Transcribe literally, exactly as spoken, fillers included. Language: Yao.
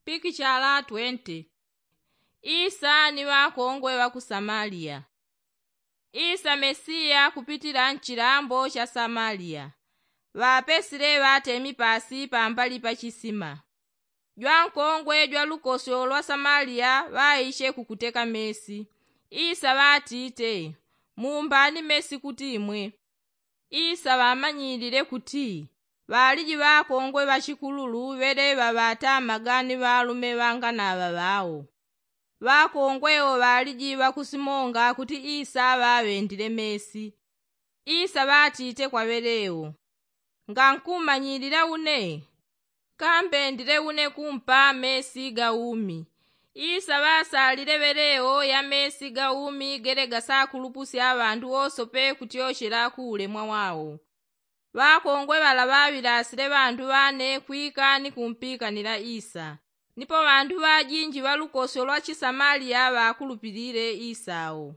Pikichala twente. Isa ni ŵakongwe ŵa ku samaliya. Isa mesiya kupitila nchilambo cha samaliya. Ŵapesile ŵatemi pasi pambali pa chisima. Jwankongwe jwa lukosyo lwa samaliya ŵaiche kukuteka mesi. Isa ŵatite, mumbani mesi kuti imwe. Isa ŵamanyilile kuti ŵaliji ŵakongwe ŵachikululu ŵele ŵaŵatamaga ni ŵalume ŵanganaŵa ŵao. Ŵakongwe wo ŵaliji ŵakusimonga kuti isa ŵaŵendile mesi. Isa ŵatite kwa ŵele wo, ngankumanyilila une? Kambendile une kumpa mesi ga umi. Isa ŵasalile ŵele wo ya mesi ga umi gele gasakulupusya ŵandu wosope kutyochela ku ulemwa wao. Ŵakongwe ŵala ŵaŵilasile ŵandu ŵane kwika ni kumpikanila isa. Nipo ŵandu ŵajinji ŵa lukosyo lwa chisamaliya ŵakulupilile isa wo.